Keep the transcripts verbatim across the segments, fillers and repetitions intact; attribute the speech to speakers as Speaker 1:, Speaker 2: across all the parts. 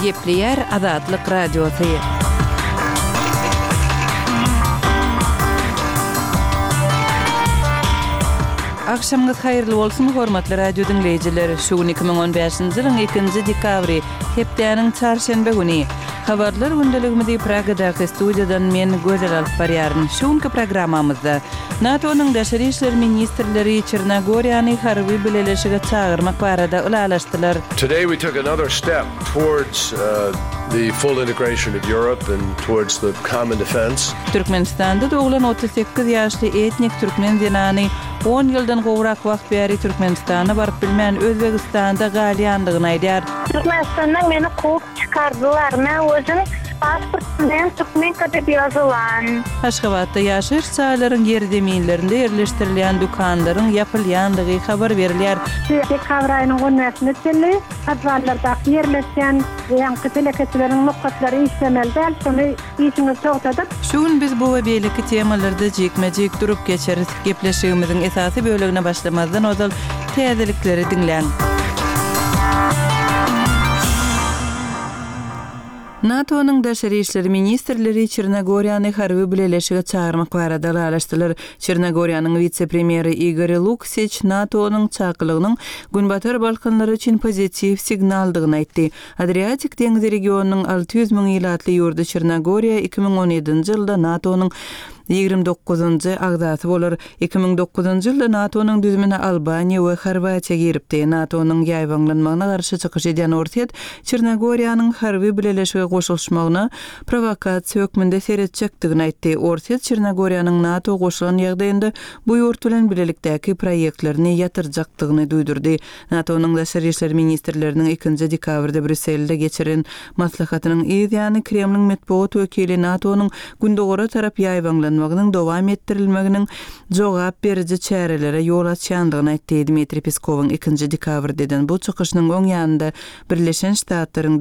Speaker 1: Gepleýär Azatlyk Radiosy. Agşamyňyz haýyrly bolsun, hormatly radio diňleýjiler! Şu gün iki müň on bäşinji ýylyň ikinji dekabry, hepdäniň çarşenbe güni. Habarlar gündeligimizi Pragadaky studiýadan men Gözel alyp barýaryn. Şu günki programmamyzda NATO-nyň daşary işler ministrleri Çernogoriýany harby bileleşige çagyrmak barada ylalaşdylar.
Speaker 2: Today we took another step towards the full integration of Europe and towards the common defense.
Speaker 1: Türkmenistanda doglan otuz sekiz ýaşly etnik türkmen zenany on ýyldan gowrak wagt bäri Türkmenistana baryp bilmän Özbegistanda galýandygyny aýdýar.
Speaker 3: Türkmenistandan meni kowup çykardylar. Men özüm pasport bilen türkmenka diýip ýazylan.
Speaker 1: Aşgabatda ýaşaýyş jaýlaryň ýerzeminlerinde ýerleşdirilýän dükanlaryň ýapylýandygy habar berilýär.
Speaker 4: Dekabr aýynyň on bäşine çenli podwallardaky ýerleşýän ýaňky telekeçileriň nokatlary işlemeli däl, şony işiňizi togtadyp.
Speaker 1: Şu gün biz bu we beýleki temalarda jikme-jik durup geçeris. Gepleşigimiziň esasy bölegine başlamazdan ozal täzelikleri diňläň. NATO-nyň daşary işler ministrleri Çernogoriýany harby bileleşige çagyrmak barada ylalaşdylar. Çernogoriýanyň wise-premýeri Igor Luksiç NATO-nyň çakylygynyň Günbatar Balkanlary üçin pozitiw signaldygyny aýtdy. Adriatik deňzi regionynyň alty ýüz müň ilatly ýurdy Çernogoriýa iki müň on ýedinji ýylda NATO-nyň ýigrimi dokuzynjy agzasy bolar. Iki müň dokuzynjy ýylda NATO-nyň düzümine Albaniýa we Horwatiýa giripdi. NATO-nyň ýaýbaňlanmagyna garşy çykyş edýän Orsýet Çernogoriýanyň harby bileleşige goşulyşmagyna prowokasiýa hökmünde seretjekdigini aýtdy. Orsýet Çernogoriýanyň NATO goşulan ýagdaýynda bu ýurt bilen bilelikdäki proýektlerini ýatyrjakdygyny duýdurdy. NATO-nyň daşary işler ministrleriniň ikinji dekabrda Brýusselde geçiren maslahatynyň yz ýany Kremliň metbugat wekili NATO-nyň gündogara tarap ýaýbaňlanmagynyň dowam etdirilmeginiň jogap beriji çärelere ýol açýandygyny aýtdy. Dmitriý Peskowyň ikinji dekabrda eden bu çykyşynyň öň ýanynda Birleşen Ştatlaryň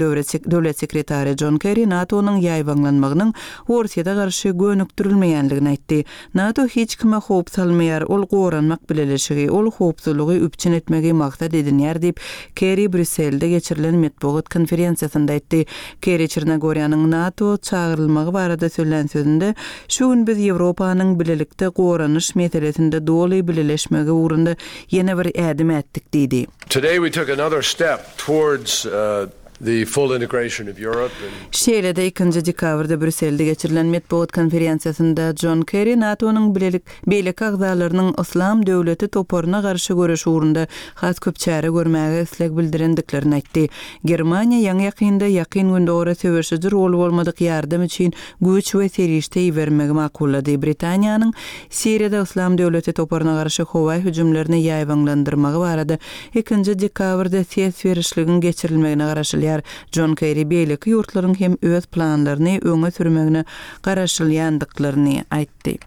Speaker 1: döwlet sekretary John Kerry NATO-nyň ýaýbaňlanmagynyň Orsýete garşy gönükdirilmeýänligini aýtdy. NATO hiç kime howp salmaýar, ol goranmak bileleşigi, ol howpsuzlygy üpjün etmegi maksat edinýär diýip, Kerry Brýusselde geçirilen metbugat konferensiýasynda aýtdy. Kerry Çernogoriýanyň NATO çagyrylmagy barada söylän sözünde, şu gün biz Ýewropanyň bilelikde goranyş meselesinde doly bileleşmegi ugrunda ýene bir ädim ätdik diýdi.
Speaker 2: Today we took another step towards, uh, the full integration of Europe and
Speaker 1: Şeýle-de ikinji dekabrda Brýusselde geçirilen metbugat konferensiýasynda John Kerry NATO-nyň bilelik beýleki agzalarynyň Yslam döwleti toparyna garşy göreş ugrunda has köp çäre görmäge isleg bildirendiklerini aýtdy. Germaniýa ýaňy ýakynda ýakyn gündogara söweşiji rol bolmadyk ýardam üçin güýç we serişde ibermegi makullady. Britaniýanyň Siriýada Yslam döwleti toparyna garşy howa hüjümlerini ýaýbaňlandyrmagy barada ikinji dekabrda ses berişligiň geçirilmegine garaşylýar. John Kerry beýleki ýurtlaryň hem öz planlaryny öňe sürmegine garaşylýandyklaryny aýtdy.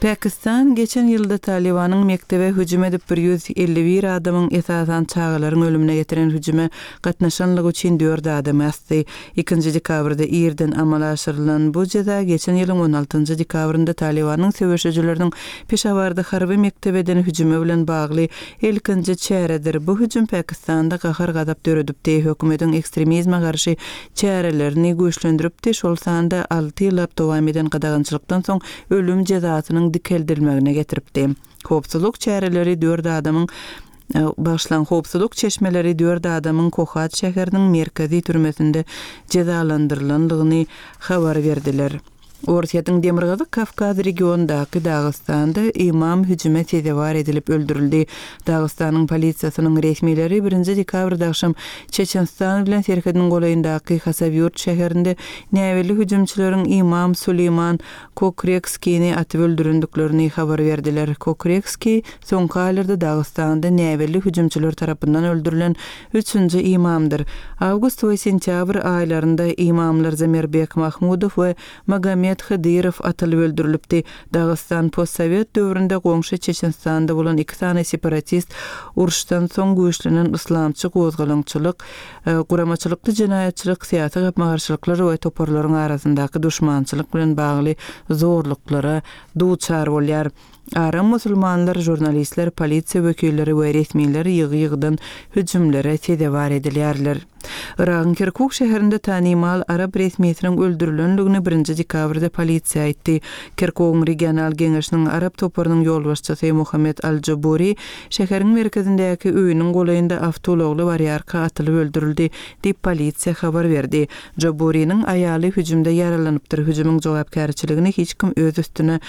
Speaker 1: Pakistan geçen ýylda Talibanyň mektebe hüjüm edip bir ýüz elli bir adamyň esasan çagalaryň ölümine getiren hüjüme gatnaşanlygy üçin dört adamy asdy. Ikinji dekabrda irden amala aşyrylan bu jeza geçen ýylyň on altynjy dekabrynda Talibanyň söweşijileriniň Peşawarda harby mektebeden hüjüme bilen bagly ilkinji çäredir. Bu hüjüm Pakistanda gahar-gazap döredipdi. Hökümetiň ekstremizme garşy çärelerini güýçlendiripdi. Şol sanda alty ýyllap dowam eden gadagançylykdan soň ölüm jezasynyň dikeldirilmegine getiripdi. Howpsuzlyk çäreleri dört adamyň, e, başlan howpsuzlyk çeşmeleri dört adamyň Kohat şäheriniň merkezi türmesinde jezalandyrylandygyny habar berdiler. Orsýetiň Demirgazyk Kawkaz regionundaky Dagystanda imam hüjüme sezewar edilip öldürildi. Dagystanyň polisiýasynyň resmileri birinji dekabrda akşam Çeçenistan bilen serhediniň golaýyndaky Hasawýurt şäherinde näbelli hüjümçileriň imam Suleýman Kokrekskini atyp öldürendiklerini habar berdiler. Kokrekski soňky aýlarda Dagystanda näbelli hüjümçiler tarapyndan öldürilen üçünji imamdyr. Awgust we sentýabr aýlarynda imamlar Zamirbek Mahmudow we Magomed Muhammet Hydyrow atylyp öldürilipdi. Dagystan postsowet döwründe goňşy Çeçenistanda bolan iki sany separatist uruşdan soň güýçlenen yslamçy gozgalaňçylyk, guramaçylykly jenaýatçylyk, syýasy gapma-garşylyklar we toparlaryň arasyndaky duşmançylyk bilen bagly zorluklara duçar bolýar. Aram musulmanlar, žurnalistler, polisiýa wekilleri we resmiler ýygy-ýygydan hüjümlere sezewar edilýärler. Yragyň Kirkuk şäherinde tanymal arap resmisiniň öldürilendigini birinji dekabrda polisiýa aýtdy. Kirkugyň regional geňeşiniň arap toparynyň ýolbaşçysy Muhammet Al-Jaburi şäheriň merkezindäki öýüniň golaýynda awtoulagly barýarka atylyp öldürildi diýip polisiýa habar berdi. Jaburiniň aýaly hüjümde ýaralanypdyr. Hüjümiň jogapkärçiligini hiç kim öz üstüne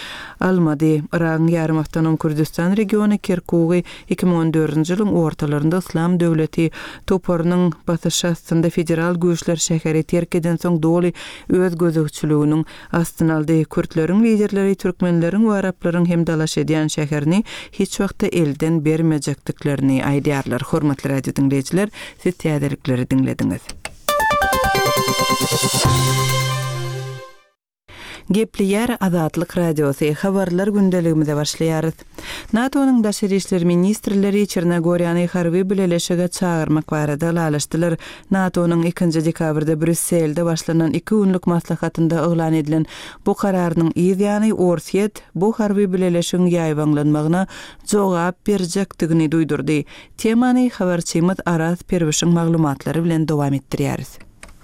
Speaker 1: almady. Yragyň ýarym awtonom Kürdistan regiony Kirkugy iki müň on dördünji ýylyň ortalarynda Yslam döwleti toparynyň basyşy astynda federal güýçler şäheri terk edensoň doly öz gözegçiliginiň astyna aldy. Kürtleriň liderleri türkmenleriň we araplaryň hem dalaş edýän şäherini hiç wagtda elden bermejekdiklerini aýdýarlar. Hormatly radio diňleýjiler, siz täzelikleri diňlediňiz. Gepleýär Azatlyk Radiosy, habarlar gündeligimize başlaýarys. NATO-nyň daşary işler ministrleri Çernogoriýany harby bileleşige çagyrmak barada ylalaşdylar. NATO-nyň ikinji dekabrda Brýusselde başlanan iki günlük maslahatynda yglan edilen bu kararynyň yz ýany Orsýet bu harby bileleşigiň ýaýbaňlanmagyna jogap berjekdigini duýdurdy. Temany habarçymyz Araz Perwişiň maglumatlary bilen dowam etdirýäris.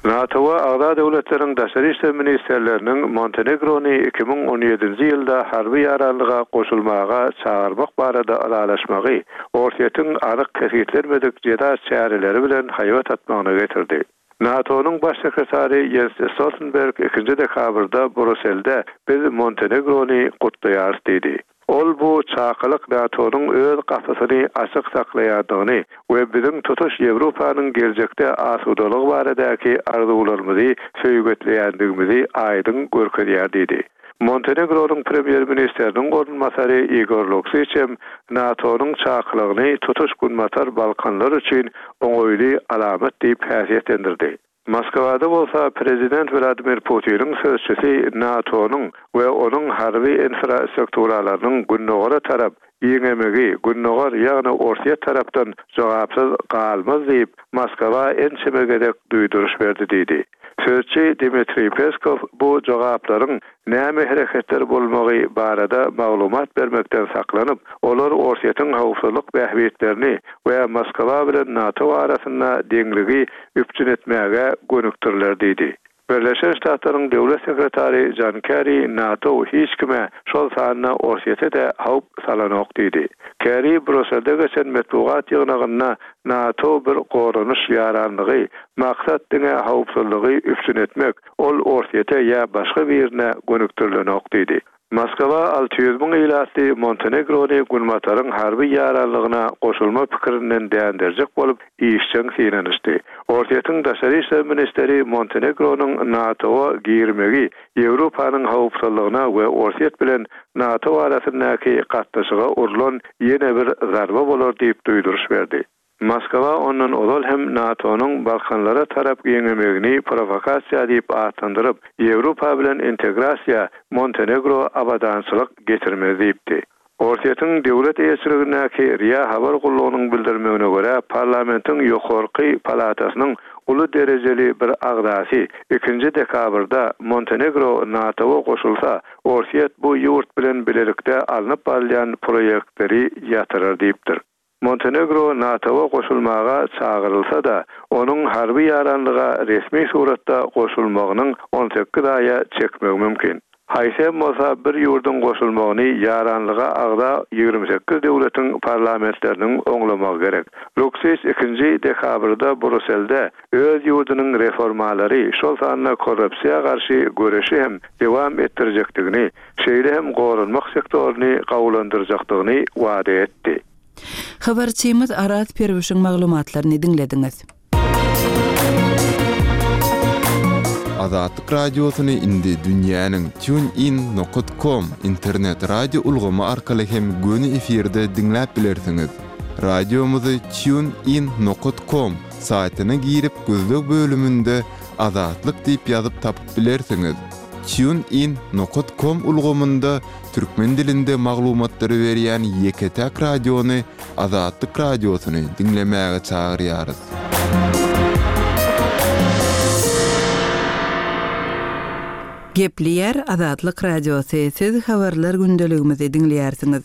Speaker 5: NATO-a agza döwletleriň daşary işler ministrleriniň Montenegrony iki müň on ýedinji ýylda harby ýaranlyga goşulmaga çagyrmak barada ylalaşmagy Orsýetiň anyk kesgitlenmedik jeza çäreleri bilen haýbat atmagyna getirdi. NATO-nyň baş sekretary Jens Stoltenberg ikinji dekabrda Brýusselde biz Montenegrony gutlaýarys diýdi. Ol bu çakylyk NATO-nyň öz gapysyny açyk saklaýandygyny we biziň tutuş Ýewropanyň geljekde asudalygy baradaky arzuwlarymyzy söýgetleýändigimizi aýdyň görkezýär diýdi. Montenegronyň premýer-ministriniň orunbasary Igor Luksiç hem NATO-nyň çakylygyny tutuş Günbatar Balkanlar üçin oňaýly alamat diýip häsiýetlendirdi. Moskwada bolsa prezident Vladimir Putiniň sözçüsi NATO-nyň we onuň harby infrastrukturalarynyň gündogara tarap giňemegi, gündogar ýagny Orsýet tarapdan jogapsyz galmaz diýip Moskwa ençeme gezek duýduryş berdi diýdi. Sözçi Dmitriý Peskow bu jogaplaryň näme hereketler bolmagy barada maglumat bermekden saklanyp, olar Orsýetiň howpsuzlyk bähbitlerini we Moskwa bilen NATO arasynda deňligi üpjün etmäge gönükdiriler diýdi. Birleşen Ştatlaryň döwlet sekretary John Kerry NATO hiç kime şol sanda Orsýete de howp salanok diýdi. Kerry Brýusselde geçen metbugat ýygnagynda NATO bir goranyş ýaranlygy, maksat diňe howpsuzlygy üpjün etmek, ol Orsýete ýa başga birine gönükdirilenok diýdi. Moskwa alty ýüz müň ilatly Montenegrony Günbataryň harby ýaranlygyna goşulma pikirinden dänderjek bolup işjeň synanyşdy. Orsýetiň daşary işler ministri Montenegronyň NATO-a girmegi Ýewropanyň howpsuzlygyna we Orsýet bilen NATO arasyndaky gatnaşyga urlan ýene bir zarba bolar diýip duýduryş berdi. Moskwa ondan ozal hem NATO-nyň Balkanlara tarap giňemegini provokasiýa diýip atlandyryp, Ýewropa bilen integrasiýa Montenegro abadançylyk getirmez diýipdi. Orsýetiň döwlet eýeçiligindäki R I A habar gullugynyň bildirmegine görä, parlamentiň ýokarky palatasynyň uly derejeli bir agzasy ikinji dekabrda Montenegro NATO-a goşulsa, Orsýet bu ýurt bilen bilelikde alnyp barylýan proýektleri ýatyrar diýipdir. Montenegro NATO-a goşulmaga çagyrylsa da, onuň harby ýaranlyga resmi suratda goşulmagynyň on sekiz aýa çekmegi mümkin. Haýsy hem bolsa bir ýurduň goşulmagyny ýaranlyga agza ýigrimi sekiz döwletiň parlamentleriniň oňlamagy gerek. Luksiç ikinji dekabrda Brýusselde öz ýurdunyň reformalary, şol sanda korrupsiýa garşy göreşi hem dowam etdirjekdigini, şeýle hem goranmak sektoryny gawulandyrjakdygyny wada etdi.
Speaker 1: Habarçymyz Araz Perwişiň maglumatlaryny diňlediňiz.
Speaker 6: Azatlyk radiosyny indi dünýäniň TuneIn nokta com internet radio ulgamy arkaly hem göni efirde diňläp bilersiňiz. Radiomyzy TuneIn nokta com saýtyna girip gözleg bölüminde Azatlyk diýip ýazyp tapyp bilersiňiz. TuneIn nokat com ulgamynda türkmen dilinde maglumatlary berýän ýeke-täk radiony Azatlyk Radiosyny diňlemäge çagyrýarys.
Speaker 1: Gepleýär Azatlyk Radiosy, siz habarlar gündeligimizi diňleýärsiňiz.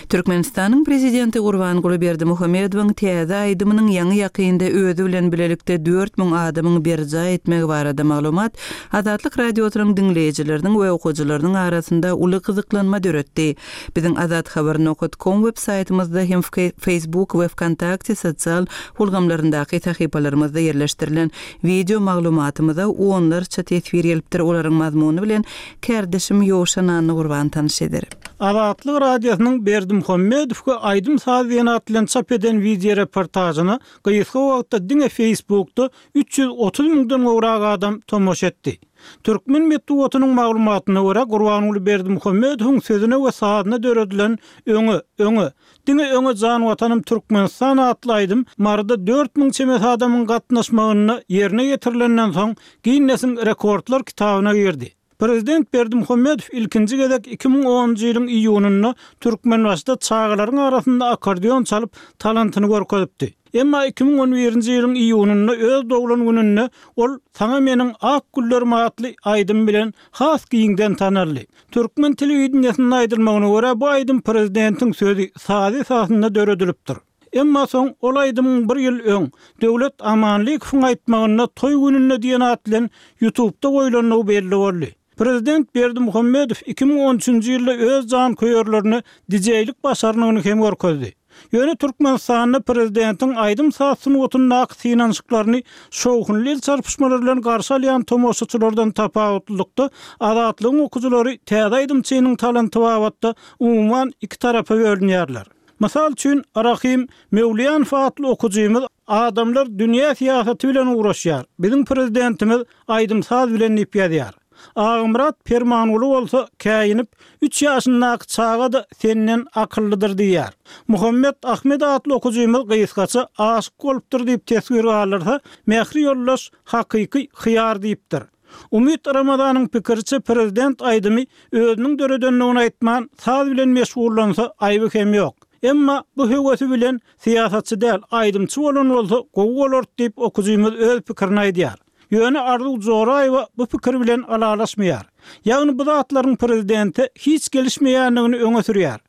Speaker 1: Türkmenistanyň Prezidenti Gurbanguly Berdimuhamedowyň täze aýdymynyň ýaňy ýakynda özi bilen bilelikde dört müň adamyň berjaý etmegi barada maglumat Azatlyk Radiosynyň diňleýjileriniň we okyjylarynyň arasynda uly gyzyklanma döretdi. Biziň azathabar nokat com web saýtymyzda hem Facebook we Vkontakte sosial ulgamlaryndaky sahypalarymyzda ýerleşdirilen wideo maglumatymyza onlarça teswir gelipdir. Olaryň mazmuny bilen kärdeşim Ýowşan Annagurban tanyş eder.
Speaker 7: Azatlyk Radiosynyň Berdimuhamedow we aýdym saz diýen at bilen çap eden wideo reportajyny gysga wagtda diňe Facebookda üç ýüz otuz müňden gowrak adam tomaşa etdi. Türkmen metbugatynyň maglumatyna görä Gurbanguly Berdimuhamedowyň sözüne we sazyna döredilen Öňe, öňe, diňe öňe jan watanym Türkmenistan atly aýdym Maryda dört müň çemesi adamyň gatnaşmagynda ýerine ýetirilenden soň Ginnesiň rekordlar kitabyna girdi. Prezident Berdimuhamedow ilkinji gezek iki müň onunjy ýylyň iýunynda Türkmenbaşyda çagalaryň arasynda akordeon çalyp talantyny görkezipdi. Emma iki müň on birinji ýylyň iýunynda öz doglan gününde ol Saňa meniň ak güllerim atly aýdym bilen has giňden tanaldy. Türkmen telewideniýesinde aýdylmagyna görä bu aýdym prezidentiň sözi sazy esasynda döredilipdir. Emma soň ol aýdymyň bir ýyl öň Döwlet Amanlykowyň aýtmagynda toý gününde diýen at bilen YouTube'da goýlandygy belli boldy. Prezident Berdimuhamedow iki müň on üçünji ýylda öz jan köýerlerine D J-lik başarnygyny hem görkezdi. Ýöne Türkmenistanda prezidentiň aýdym saz sungatyndaky synanyşyklaryny şowhunly el çarpyşmalar bilen garşy alýan tomaşaçylardan tapawutlylykda Azatlygyň okyjylary täze aýdymçynyň talanty babatda umuman iki tarapa bölünýärler. Mysal üçin Rahim Mewliýanow atly okyjymyz adamlar dünýä syýasaty bilen uğraşýar. Biziň prezidentimiz aýdym saz bilen diýip ýazýar. Agymyrat Permanguly bolsa käýinip üç ýaşyndaky çaga da senden akyllydyr diýýär. Muhammet Ahmed atly okyjymyz gysgaça aşyk bolupdyr diýip teswir galdyrsa, Mähri ýoldaş hakyky hyýar diýipdir. Umyt Ramazanyň pikiriçe prezident aýdymy özüniň döredenligini aýtman saz bilen meşgullansa aýby hem ýok. Emma bu höwesi bilen syýasatçy däl, aýdymçy bolan bolsa gowy bolar diýip okyjymyz öz pikirini aýdýar. Ýöne Arzuw Joraýewa bu pikir bilen alalaşmaýar. Ýagny bu zatlaryň prezidente hiç gelişmeýändigini öňe sürýär.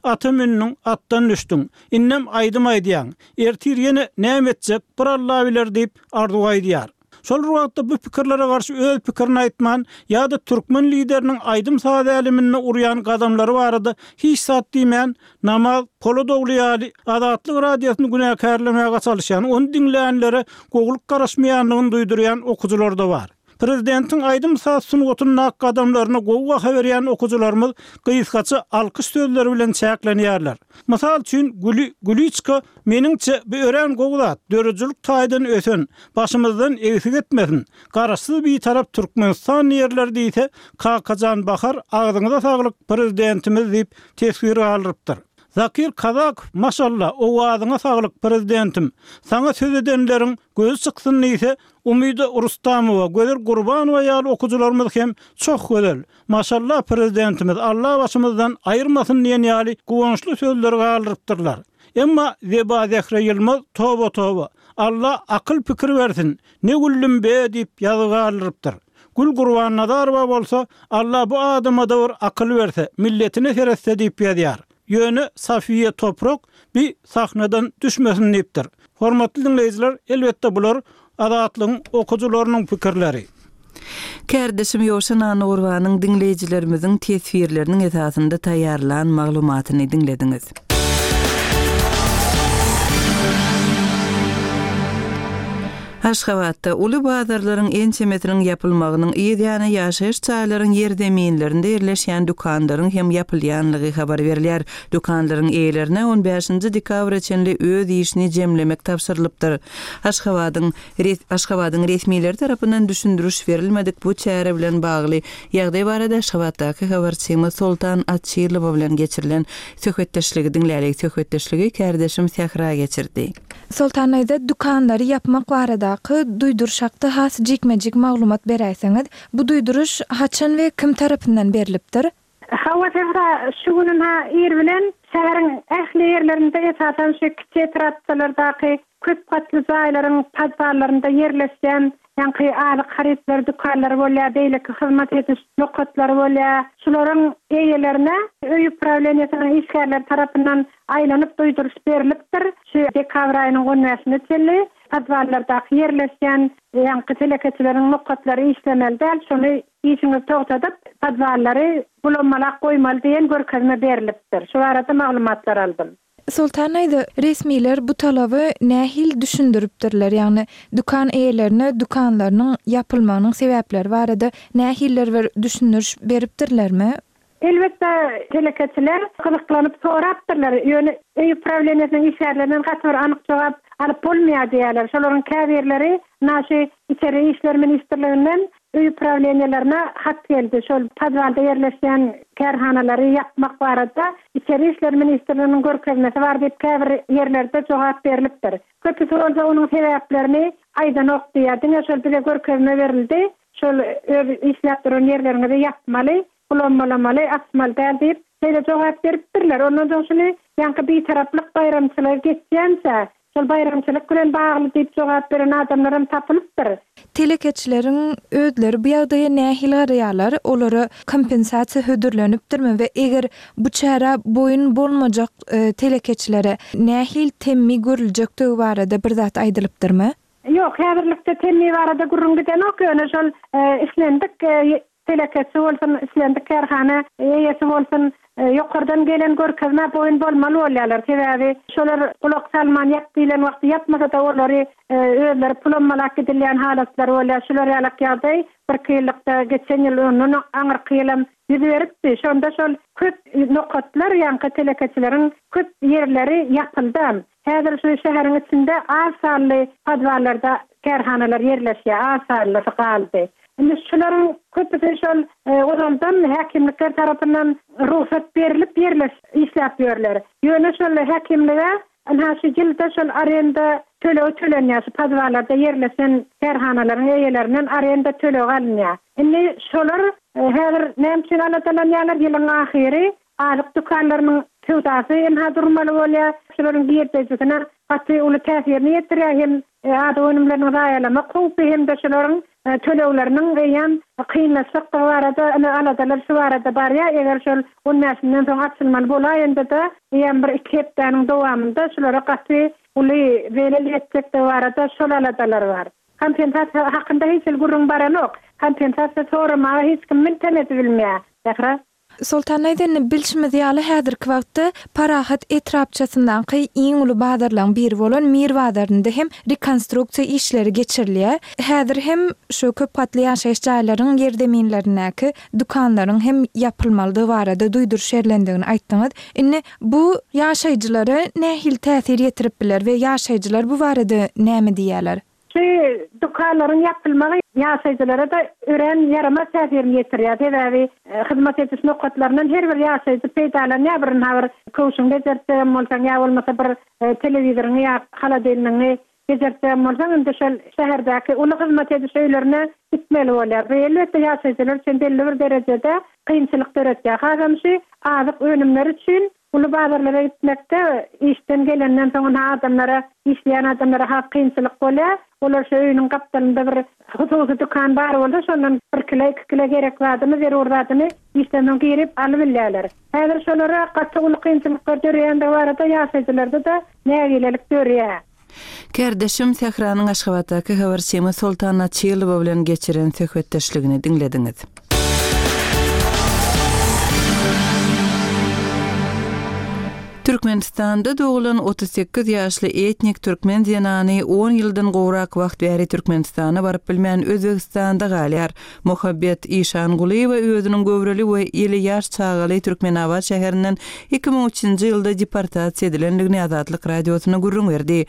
Speaker 7: Ata münüň, atdan düşdüň, innem aýdym aýdýaň, ertir ýene näme etjek, bir Alla biler diýip Arzuw aýdýar. Şol wagtda bu pikirlere garşy öz pikirini aýtman ýa-da türkmen lideriniň aýdym saz äleminde urýan gadamlary barada hiç zat diýmän, namaz Polodogly ýaly Azatlyk radiosyny günäkärlemäge çalyşýan, ony diňleýänlere gowulyk garaşmaýanlygyny duýdurýan okyjylar da bar. Prezidentiň aýdym saz sungatyndaky gadamlaryny gowy baha berýän okyjylarymyz gysgaça alkyş sözleri bilen çäklenýärler. Mysal üçin Güli Güliçka meniňçe bu örän gowy zat, döredijilik taýdan ösen, başymyzdan egsik etmesin. Garaşsyz bir tarap Türkmenistan ýerleri diýse, Kakajan Bahar agzyňyza saglyk prezidentimiz diýip teswir galdyrypdyr. Zakir Kazakow maşallah owazyňa saglyk prezidentim. Saňa söz edenleriň gözi çyksyn diýse, Umyda Rustamowa, Gözel Gurbanowa ýaly okyjylarymyz hem çok gözel. Maşallah prezidentimiz Allah başymyzdan aýyrmasyn diýen ýaly guwançly sözleri galdyrypdyrlar. Emma Zeba Zehre Ýylmaz toba toba. Allah akyl pikir bersin. Ne güllüm be diýip ýazy galdyrypdyr. Gül Gurbannazarowa bolsa Allah bu adama da bir akyl berse, milletine seretse diýip ýazýar. Ýöne Safiye Toprak bir sahnadan düşmesin diýipdir. Hormatly dinleýjiler, elbetde bular Azatlygyň okyjylarynyň pikirleri.
Speaker 1: Kärdeşim Ýowşan Annagurbanyň dinleýjilerimiziň teswirleriniň esasynda taýýarlan maglumatyny diňlediňiz. Aşgabatda uly bazarlaryň ençemesiniň ýapylmagynyň yz ýany ýaşaýyş jaýlaryň ýer zeminlerinde ýerleşýän dükanlaryň hem ýapylýanlygy habar berilýär. Dükanlaryň eýelerine on bäşinji dekabra çenli öz işini jemlemek tabşyrylypdyr. Aşgabadyň res-, Aşgabadyň resmileri tarapyndan düşündiriş berilmedik bu çäre bilen bagly ýagdaý barada Aşgabatdaky habarçymyz Soltan Açylowa bilen geçirilen söhbetdeşligi diňlälik. Söhbetdeşligi kärdeşim Sähra geçirdi.
Speaker 8: Soltan aýda dükanlary ýapmak barada baradaky duýduryş hakda has jikme-jik maglumat beräýseňiz. Bu duýduryş haçan we kim tarapyndan berlipdir?
Speaker 4: Hawa, Sähra, şu gün ynha ir bilen şäheriň ähli ýerlerinde, esasan şu kiçi etrapçalardaky köp gatly jaýlaryň podwallarynda ýerleşýän ýaňky azyk harytlary dükanlary bolýar, beýleki hyzmat ediş nokatlary bolýar, şularyň eýelerine öý uprawleniýesiniň işgärleri tarapyndan aýlanyp duýduryş berlipdir. Şu dekabr aýynyň on bäşine çenli podwallardaky ýerleşýän ýaňky telekeçileriň nokatlary işlemeli däl, şony işiňizi togtadyp, podwallary bulanmalak goýmaly diýen görkezme berlipdir. Şu barada maglumatlar aldym.
Speaker 8: Soltan aýda, resmiler bu talaby nähili düşündiripdirler, ýagny dükan eýelerine dükanlarynyň ýapylmagynyň sebäpleri barada nähilidir bir düşündiriş beripdirlermi?
Speaker 4: Elbetde, telekeçiler gyzyklanyp sorapdyrlar, ýöne öý uprawleniýesiniň işgärlerinden gaty bir anyk jogap alyp bolmaýar diýýärler. Şolaryň käbirleri naşy Içeri işler ministrliginden öý uprawleniýelerine hat geldi. Şol podwalda ýerleşýän kärhanalary ýapmak barada Içeri işler ministrliginiň görkezmesi bar diýip käbir ýerlerde jogap berlipdir. Köpüsi bolsa onuň sebäplerini aýdanok diýýär. Diňe şol bize görkezme berildi, şol öz işläp duran ýerleriňizi ýapmaly, bulammalamaly, açmaly däl diýip, şeýle jogap beripdirler. Ondan soň şuny ýaňky Bitaraplyk baýramçylygy geçýänçä, şol baýramçylyk bilen bagly diýip jogap beren adamlaram tapylypdyr.
Speaker 8: Telekeçileriň özleri bu ýagdaýa nähili garaýarlar? Olara kompensasiýa hödürlenipdirmi we eger bu çärä boýun bolmajak telekeçilere nähili temmi görüljekdigi barada bir zat aýdylypdyrmy?
Speaker 4: Ýok, häzirlikçe temmi barada gürrüň gidenok, ýöne şol islendik telekeçi bolsun, islendik kärhana eýesi bolsun, ýokardan gelen görkezmä boýun bolmaly bolýarlar. Sebäbi şolar gulak salman ýap diýlen wagty ýapmasa-da olary özleri pulammalap gidilýän halatlary bolýar. Şular ýalak ýagdaý birki ýyllykda geçen ýyl ondan aňyrky ýylam ýüz beripdi. Şonda şol köp nokatlar ýaňky telekeçileriň köp ýerleri ýapyldam. Häzir şu şäheriň içinde az sanly podwallarda kärhanalar ýerleşýär, az sanlysy galdy. Indi şularyň köpüsi şol ozaldan häkimlikler tarapyndan rugsat berlip ýerleş işläp ýörler. Ýöne şol häkimlige ynha şu ýylda şol arenda tölegi tölenýär, şu podwallarda ýerleşen kärhanalaryň eýelerinden arenda tölegi alynýar. Indi şolar häzir näme üçin aladalanýarlar? Ýylyň ahyry azyk dükanlarynyň söwdasy ynha durmaly bolýar. Şolaryň girdejisine gaty uly täsirini ýetirýär hem azyk önümleriniň zaýalamak howpy hem-de şolaryň tölegleriniň eýýäm kynlaşjakdygy barada ine aladalar şu barada barýar. Eger şol on bäşinden soň açylmaly bolaýanda-da eýýäm bir iki hepdäniň dowamynda şulara gaty uly zelel ýetjekdigi barada şol aladalar bar. Kompensasiýa hakynda hiç hili gürrüň baranok. Kompensasiýa soramaga hiç kim mintem edibilmeýär. Sähra.
Speaker 8: Soltan aýda, indi bilşimiz ýaly, häzirki wagtda Parahat etrapçasyndaky iň uly bazarlaryň biri bolan Mir bazarynda hem rekonstruksiýa işleri geçirilýär. Häzir hem şu köp gatly ýaşaýyş jaýlaryň ýerzeminlerindäki dükanlaryň hem ýapylmalydygy barada duýduryş berlendigini aýtdyňyz. Indi bu ýaşaýjylara nähili täsir ýetirip biler we ýaşaýjylar bu barada näme diýýärler?
Speaker 4: Şu dükanlaryň ýapylmagy ýaşaýjylara-da örän ýaramaz täsirini ýetirýär. Sebäbi hyzmat ediş nokatlaryndan her bir ýaşaýjy peýdalanýar. Bir ynha bir köwşüňi bejertjegem bolsaň, ýa bolmasa bir telewizoryňy ýa holodilnigiňi bejertjegem bolsaň, indi şol şäherdäki uly hyzmat ediş öýlerine gitmeli bolýar. Bu elbetde ýaşaýjylar üçin belli bir derejede kynçylyk döretýär. Hasam şu azyk önümleri üçin uly bazarlara gitmekde işden gelenden soň ynha adamlara, işleýän adamlara has kynçylyk bolýar. Olar şu öýüniň gapdalynda bir hususy dükan bar bolsa, şondan bir kilo, iki kilo gerek zadyny, zerur zadyny işden soň girip alybilýärler. Häzir şolara gaty uly kynçylyklar döreýändigi barada ýaşaýjylarda-da nägilelik dörýär.
Speaker 1: Kärdeşim Sähranyň Aşgabatdaky habarçymy Soltan Açylowa bilen geçiren söhbetdeşligini diňlediňiz. Türkmenistanda doglan otuz sekiz ýaşly etnik türkmen zenany on ýyldan gowrak wagt bäri Türkmenistana baryp bilmän Özbegistanda galýar. Muhabbet Işangulyýewa özüniň göwreli we eli ýaş çagaly Türkmenabat şäherinden iki müň üçünji ýylda deportasiýa edilendigini Azatlyk radiosyna gürrüň berdi.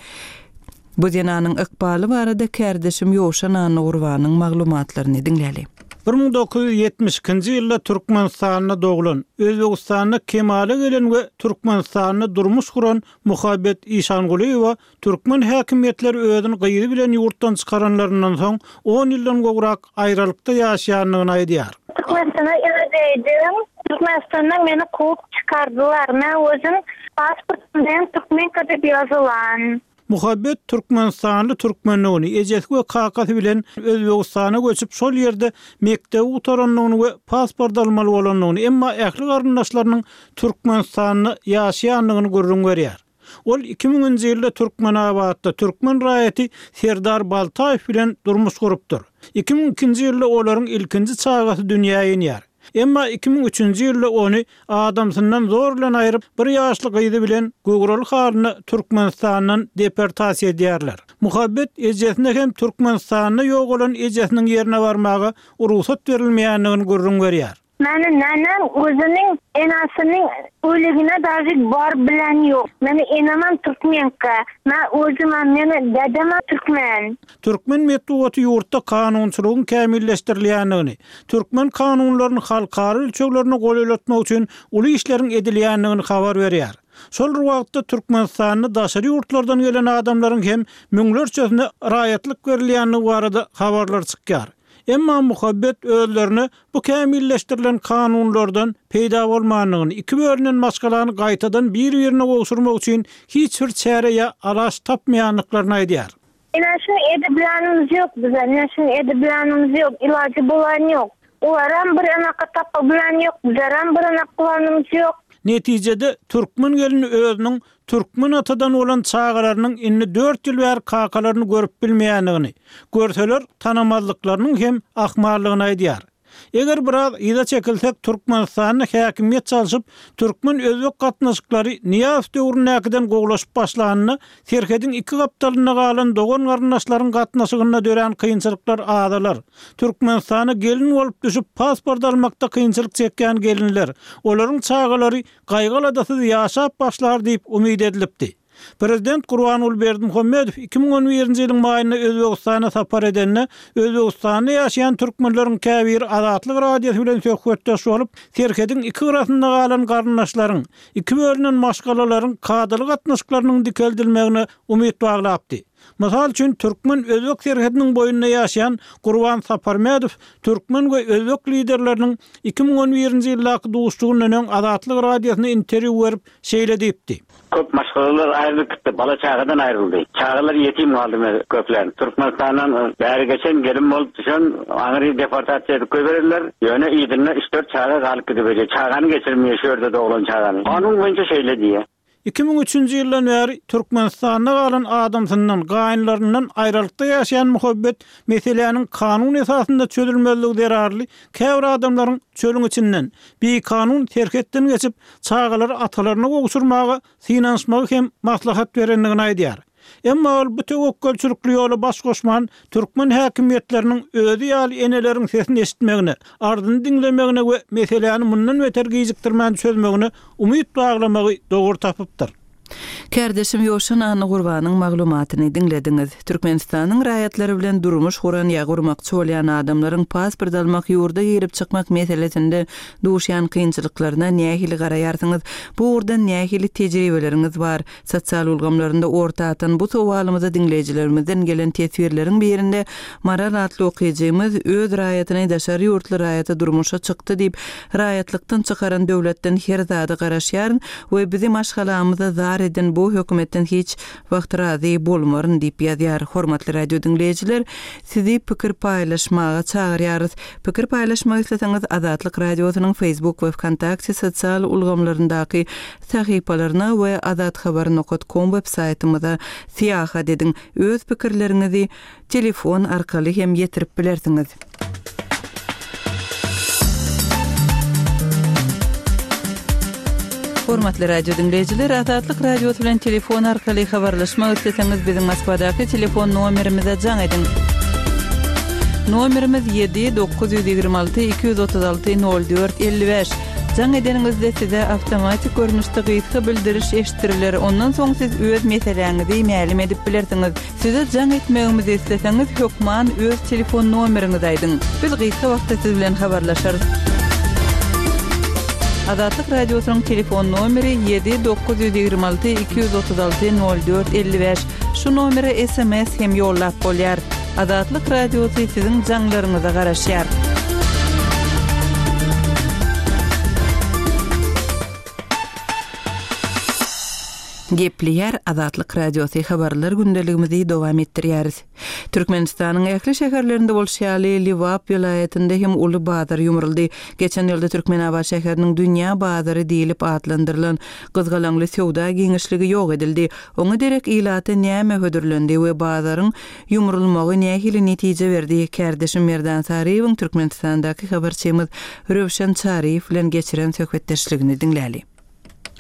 Speaker 1: Bu zenanyň ykbaly barada kärdeşim Ýowşan Annagurbanyň maglumatlaryny diňläli.
Speaker 7: Bir müň dokuz ýüz ýetmiş ikinji ýylda Türkmenistanda doglan, Özbegistanda kemala gelen we Türkmenistanda durmuş guran Muhabbet Işangulyýewa türkmen häkimiýetleri özüni gyzy bilen ýurtdan çykaranlaryndan soň on ýyldan gowrak aýralykda ýaşaýandygyny aýdýar.
Speaker 3: Türkmenistana ýaşaýdym. Türkmenistanda meni kowup çykardylar. Men özüm pasportym bilen türkmenka diýip ýazylan.
Speaker 7: Muhabbet Türkmenistanly türkmenligini, ejesi we kakasy bilen Özbegistana göçüp şol ýerde mekdebi gutarandygyny we pasport almaly bolandygyny, emma ähli garyndaşlarynyň Türkmenistanda ýaşaýandygyny gürrüň berýär. Ol iki müňünji ýylda Türkmenabatda türkmen raýaty Serdar Baltaýew bilen durmuş gurupdyr. Iki müň ikinji ýylda olaryň ilkinji çagasy dünýä inýär. Emma iki müň üçünji ýylda ony adamsyndan zor bilen aýryp, bir ýaşly gyzy bilen göwreli halyna Türkmenistandan deportasiýa edýärler. Muhabbet ejesine hem Türkmenistanda ýok bolan ejesiniň ýerine barmaga rugsat berilmeýändigini gürrüň berýär.
Speaker 3: Meni nenem özüniň enasiniň öligine daži bar bilen ýok. Meni enamam türkmenka, men özüm meni dedem türkmen.
Speaker 7: Türkmen metbugaty ýurtda kanunçylygyň kämilleşdirilýändigini, türkmen kanunlaryny halkara ölçeglerine golaýlatmak üçin uly işleriň edilýändigini habar berýär. Şol bir wagtda Türkmenistanda daşary ýurtlardan gelen adamlaryň hem müňlerçesine raýatlyk berilýändigi barada habarlar çykýar. Emma Muhabbet özlerine bu kämilleşdirilen kanunlardan peýda bolmandygyny, iki bölünen maşgalany gaýtadan bir-birine gowşurmak üçin hiç bir çäre ýa alaç tapmaýandyklaryny aýdýar.
Speaker 3: Ine şunu edip ýok bize, ine şunu edip ýok, ilajy bolan ýok. Olaram bir anaka tapa bilen ýok, bizeram bir anak bulanymyz ýok.
Speaker 7: Netijede türkmen gelini özüniň türkmen atadan bolan çagalarynyň indi dört ýyl bäri kakalaryny görüp bilmeýändigini, görseler tanamazlyklarynyň hem ahmallygyny aýdýar. Eger biraz yza çekilsek Türkmenistanda häkimiýet çalşyp, türkmen özbek gatnaşyklary Niýaz döwründäkiden gowlaşyp başlanyna, serhediň iki gapdalynda galan dogan garyndaşlaryň gatnaşygynda dörän kynçylyklar azalar. Türkmenistana gelin bolup düşüp pasport almakda kynçylyk çekýän gelinler, olaryň çagalary gaýgyladysyz ýaşap başlar diýip umyt edilipdi. Prezident Gurbanguly Berdimuhamedow iki müň on birinji ýylyň maýynda Özbegistana sapar edende, Özbegistanda ýaşaýan türkmenleriň käbiri Azatlyk radiosy bilen söhbetdeş bolup, serhediň iki gyrasynda galan garyndaşlaryň, iki bölünen maşgalalaryň kadaly gatnaşyklarynyň dikeldilmegine umyt baglapdy. Mysal üçin türkmen özbek serhediniň boýunda ýaşaýan Gurban Saparmedow türkmen we özbek liderleriniň iki müň on birinji ýyldaky duşuşygyndan öň Azatlyk radiosyna interwýu berip şeýle diýipdi.
Speaker 9: Köp maşgalalar aýrylyp gitdi, bala çagadan aýryldy. Çagalar ýetim galdy köpler. Türkmenistandan bäri geçen gelin bolup düşen aňry deportasiýa edip goýberdiler. Ýöne ýedinne üç dört çaga galyp gidip, çagany geçirmeýär şu ýerde doglan çagany. Kanun boýunça şeýle diýýär.
Speaker 7: Iki müň üçünji ýyldan bäri Türkmenistanda galan adamsyndan, gaýynlaryndan aýralykda ýaşaýan Muhabbet meseläniň kanun esasynda çözülmezligi zerarly käbir adamlaryň çölüň içinden bikanun serhetden geçip çagalary atalaryna gowşurmaga synanyşmagy hem maslahat berendigini aýdýar. Emma ol bu töwekgelçilikli ýola baş goşman türkmen häkimiýetleriniň özi ýaly eneleriň sesini eşitmegine, ardyny diňlemegine we meseläni mundan beter gijikdirmän çözmegine umyt baglamagy dogry tapypdyr.
Speaker 1: Kardeşim Ýoşan Anna Gurbanyň maglumatyny diňlediňiz. Türkmenistanyň raýatlary bilen durmuş guran ýa gurmakçy bolýan adamlaryň pasport almak, ýurda girip çykmak meselesinde duşýan kynçylyklaryna nähili garaýarsyňyz? Bu ugurdan nähili tejribeleriňiz bar? Sosial ulgamlarynda orta atan bu sowalymyza diňleýjilerimizden gelen teswirleriň birinde Maral atly okyjymyz öz raýatyny daşary ýurtly raýata durmuşa çykdy diýip, raýatlykdan çykaran döwletden her zada garaşýaryn we bizi maşgalamyza zar eden bu hökümetden hiç wagt razy bolmaryn diýip ýazýar. Hormatly radio diňleýjiler, sizi pikir paýlaşmaga çagyrýarys. Pikir paýlaşmak isleseňiz Azatlyk radiosynyň Facebook we VKontakte sosial ulgamlaryndaky sahypalaryna we azathabar nokta com web saýtymyza syýahat ediň. Öz pikirleriňizi telefon arkaly hem ýetirip bilersiňiz. Hormatly radio diňleýjiler, Azatlyk radiosy bilen telefon arkaly habarlaşmak isleseňiz biziň Moskwadaky telefon nomerimize jaň ediň. Nomerimiz ýedi dokuz ýüz ýigrimi alty iki ýüz otuz alty nol dört elli bäş. Jaň edeniňizde size awtomatik görnüşde gysga bildiriş eşitdiriler. Ondan soň siz öz meseläňizi mälim edip bilersiňiz. Size jaň etmegimizi isleseňiz hökman öz telefon nomeriňizi aýdyň. Biz gysga wagtda siz bilen habarlaşarys. Azatlyk Radiosynyň telefon nomeri ýedi dokuz ýüz ýigrimi alty iki ýüz otuz alty nol dört elli bäş. Şu nomere S M S hem ýollap bolýar. Azatlyk Radiosy siziň jaňlaryňyza garaşýar. Gepleýär Azatlyk Radiosy habarlar gündeligimizi dowam etdirýäris. Türkmenistanyň ähli şäherlerinde bolşy ýaly Lebap welaýatynda hem uly bazar ýumruldy. Geçen ýylda Türkmenabat şäheriniň dünýä bazary diýlip atlandyrylan gyzgalaňly söwda giňişligi ýok edildi. Oňa derek ilata näme hödürlendi we bazaryň ýumrulmagy nähili netije berdi? Kärdeşim Merdan Saryýewiň Türkmenistandaky habarçymyz Röwşen Çaryýew bilen geçiren söhbetdeşligini diňläli.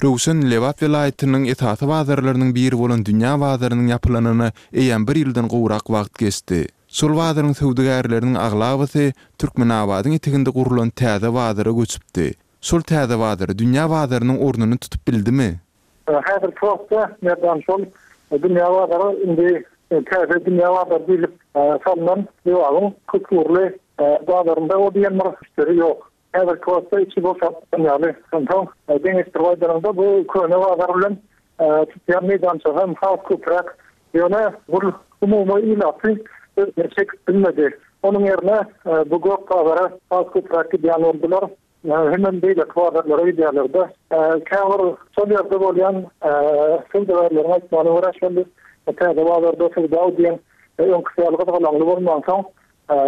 Speaker 6: Röwşen Lebap welaýatynyň esasy bazarlarynyň biri bolan dünýä bazarynyň ýapylanyna eýýäm bir ýyldan gowrak wagt geçdi. Şol bazaryň söwdagärleriniň aglabasy Türkmenabadyň eteginde gurlan täze bazara göçüpdi. Şol täze bazar dünýä bazarynyň ornuny tutup bildimi?
Speaker 10: Häzirki wagtda Merdan şol dünýä bazary indi täze dünýä bazary diýlip salnan Lebabyň köpugurly bazarynda o diýen bir müşderi ýok. Häzirki wagtda içi boşap ýaly. Onsoň deňeşdirip aýdanyňda bu köne bazar bilen tutýan meýdançasy hem has köpräk. Ýöne bu umumy ilaty özüne çekip bilmedi. Onuň ýerine bu gök bazara has köpräk gidýän boldular. Hemen beýleki bazarlara gidýärler-de. Käbir şol ýerde bolýan söwdagärleriň aýtmagyna görä şol täze bazarda söwda diýen öňküsi ýaly gyzgalaňly bolmansoň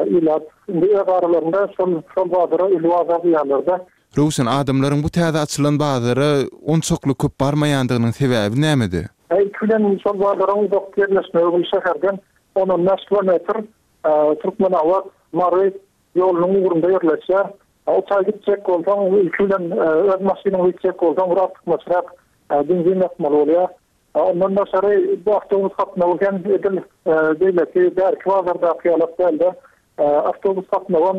Speaker 10: ilat indi öz aralarynda şol, şol bazara uly bazar diýýärler-de.
Speaker 6: Röwşen, adamlaryň bu täze açylan bazara onçakly köp barmaýandygynyň sebäbi nämede?
Speaker 10: Ilki bilen şol bazaryň uzak ýerleşmegi bu şäherden on on bäş kilometr Türkmenabat, Mary ýolunyň ugrunda ýerleşýär. O taý gitjek bolsaň, ilki bilen öz maşynyňy gitjek bolsaň, bir artykmaçrak benzin ýakmaly bolýar. Ondan daşary bu awtobus gatnawy hem edil beýleki bärki bazardaky ýaly dälde. Awtobus gatnawy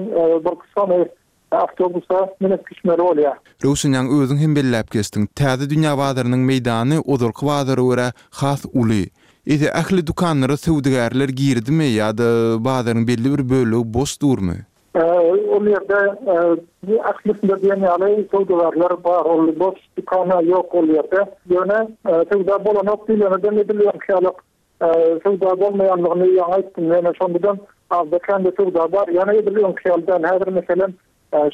Speaker 10: bir sany awtobusa münüp düşmeli bolýar.
Speaker 6: Röwşen, ýaňy özüň hem belläp geçdiň. Täze dünýä bazarynyň meýdany ozalky bazara görä has uly. Eýse ähli dükanlara söwdagärler girdimi ýa-da bazaryň belli bir bölegi boş durmy?
Speaker 10: Ol ýerde ählisinde diýen ýaly söwdagärler bar, ol boş dükana ýok ol ýerde. Ýöne söwda bolanok diýleneden edilýän ýaly söwda bolmaýanlygyny ýaňy aýtdym. Ýöne şondan azda kände söwda bar. Ýöne edil öňki ýaly däl. Häzir meselem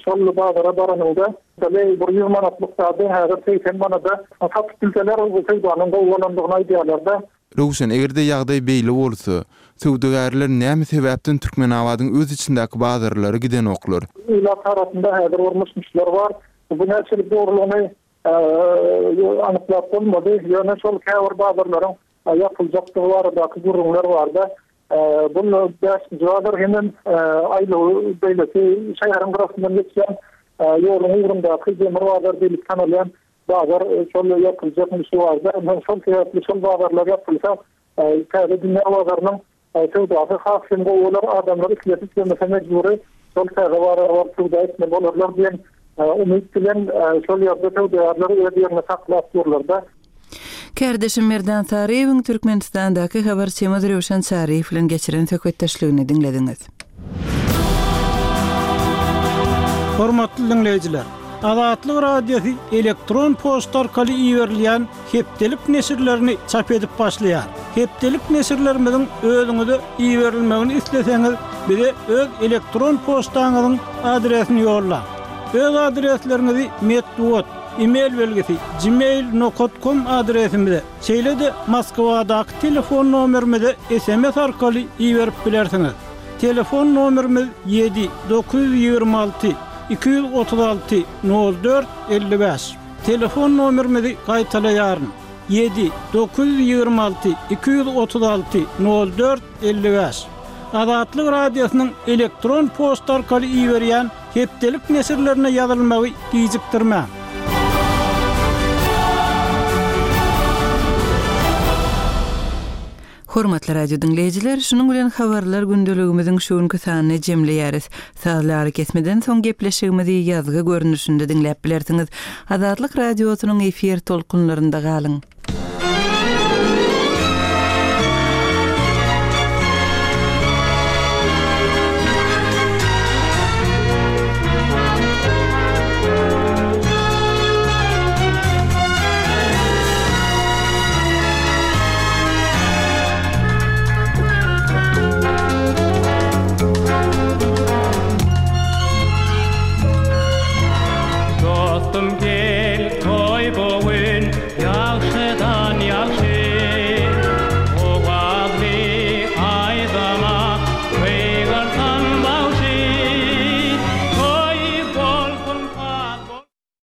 Speaker 10: şol bazara baranyňda bir ýüz manatlyk zady häzir segsen manada satyp bilseler, bu söwdanyň gowy bolandygyny aýdýarlar-da.
Speaker 6: Röwşen, eger-de ýagdaý beýle bolsa, söwdagärler näme sebäpden Türkmenabadyň öz içindäki bazarlara gidenoklar?
Speaker 10: Ilat arasynda häzir bir myş-myşlar bar. Bu näçelik dogrulygyny anyklap bolmady. Ýöne şol käbir bazarlaryň ýapyljakdygy baradaky gürrüňler bardy. Bu bäşinji bazar hemem aýlaw beýleki şäheriň gyrasyndan geçýän ýoluň ugrundaky demir bazar diýlip tanalýan bazar şol ýapyljak myşy bardy. Ondan şol sebäpli şol bazarlar ýapylsa, täze dünýä bazarynyň söwdasy has hem gowy bolar. Adamlar islese islemese mejbury şol täze bazara baryp söwda etmeli bolarlar diýen umyt bilen şol ýerde söwdagärler öz ýerini saklap durlar-da.
Speaker 1: Kärdeşim Merdan Saryýewiň Türkmenistandaky habarçymyz Röwşen Çaryýew bilen geçiren söhbetdeşligini diňlediňiz.
Speaker 7: Hormatly dinleýjiler, Azatlyk Radiosy elektron poçta arkaly iberilýän hepdelik neşirlerini çap edip başlaýar. Hepdelik neşirlerimiziň özüňize iberilmegini isleseňiz, bize öz elektron poçtaňyzyň adresini ýollaň. Öz adresleriňizi metbugat, e-mail belgisi gmail nokta com adresimize, şeýle-de Moskwadaky telefon nomerimize S M S arkaly iberip bilersiňiz. Telefon nomerimiz ýedi dokuz ýüz ýigrimi alty iki ýüz otuz alty nol dört elli bäş. Telefon nomerimizi gaýtalaýaryn. Ýedi dokuz ýüz ýigrimi alty iki ýüz otuz alty nol dört elli bäş. Azatlyk Radiosynyň elektron poçta arkaly iberýän hepdelik neşirlerine ýazylmagy gijikdirmäň.
Speaker 1: Hormatly radio diňleýjiler, şunuň bilen habarlar gündeligimiziň şu günki sanyny jemleýäris. Sazly arakesmeden soň gepleşigimizi ýazgy görnüşinde diňläp bilersiňiz. Azatlyk radiosynyň efir tolkunlarynda galyň.